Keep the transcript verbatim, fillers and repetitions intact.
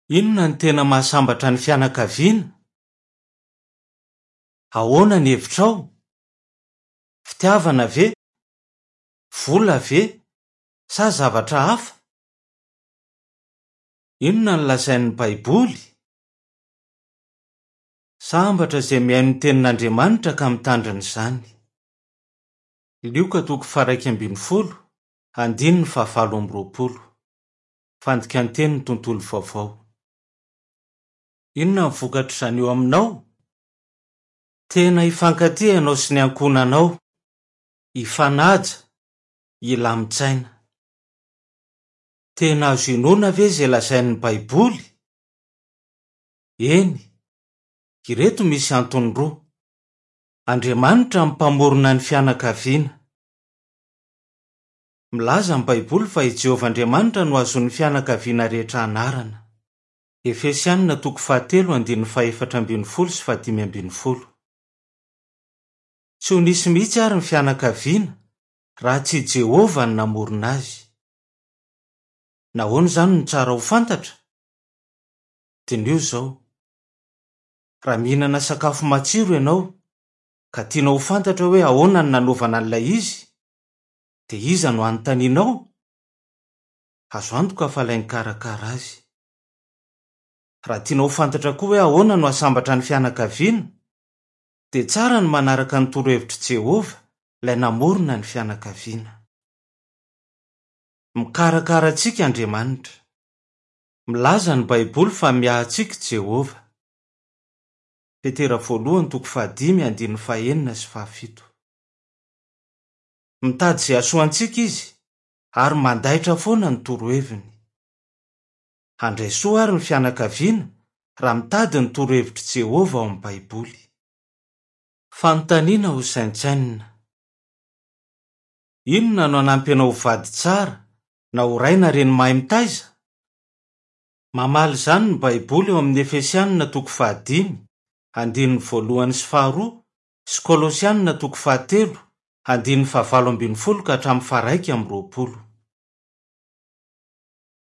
Inona no tena mahasambatra ny fianakaviana? Ahoana ny hevitrao? Fitiavana ve? Vola ve? Sa zavatra hafa? Inona no lazain'ny Baiboly? Sambatra izay mihaino ny tenin'Andriamanitra ka mitandrina izany. Lioka toko faha-iraika ambin'ny folo, andininy fahavalo amby roapolo. Fandikan-tenin'ny Tontolo Vaovao. Inona ny vokatr'izany eo aminao? Tena hifankatia ianao sy ny ankohonanao, hifanaja, hilamin-tsaina. Tena azo inoana ve izay lazain'ny Baiboly? Eny. Ireto misy antony roa. Andriamanitra no Mpamorona ny fianakaviana. Milaza ny Baiboly fa i Jehovah Andriamanitra no azon'ny fianakaviana rehetra anarana. Efesianina toko fahatelo andininy fahefatra ambin'ny folo sy fahadimy ambin'ny folo. Tsy ho nisy mihitsy àry ny fianakaviana raha tsy i Jehovah no namorona azy. Nahoana izany no tsara ho fantatra? Diniho izao. Raha mihinana sakafo matsiro ianao, ka tianao ho fantatra hoe ahoana no nanaovana an'ilay izy, dia iza no hanontanianao? Azo antoka fa ilay nikarakara azy. Raha tianao ho fantatra koa hoe ahoana no hahasambatra ny fianakaviana, dia tsara ny manaraka ny torohevitr'i Jehovah, ilay namorona ny fianakaviana. Mikarakara antsika Andriamanitra. Milaza ny Baiboly fa miahy antsika i Jehovah. Petera voalohany toko fahadimy andininy fahenina sy fahafito. Mitady izay hahasoa antsika izy, ary mandaitra foana ny toroheviny. Handray soa àry ny fianakaviana raha mitady ny torohevitr'i Jehovah ao amin'ny Baiboly. Fanontaniana hosaintsainina. Inona no hanampy anao ho vady tsara na ho ray na reny mahay mitaiza? Mamaly izany ny Baiboly ao amin'ny Efesianina toko fahadimy, andininy voalohany sy faharoa, sy Kolosianina toko fahatelo, andininy fahavalo ambin'ny folo ka hatramin'ny faharaika amby roapolo.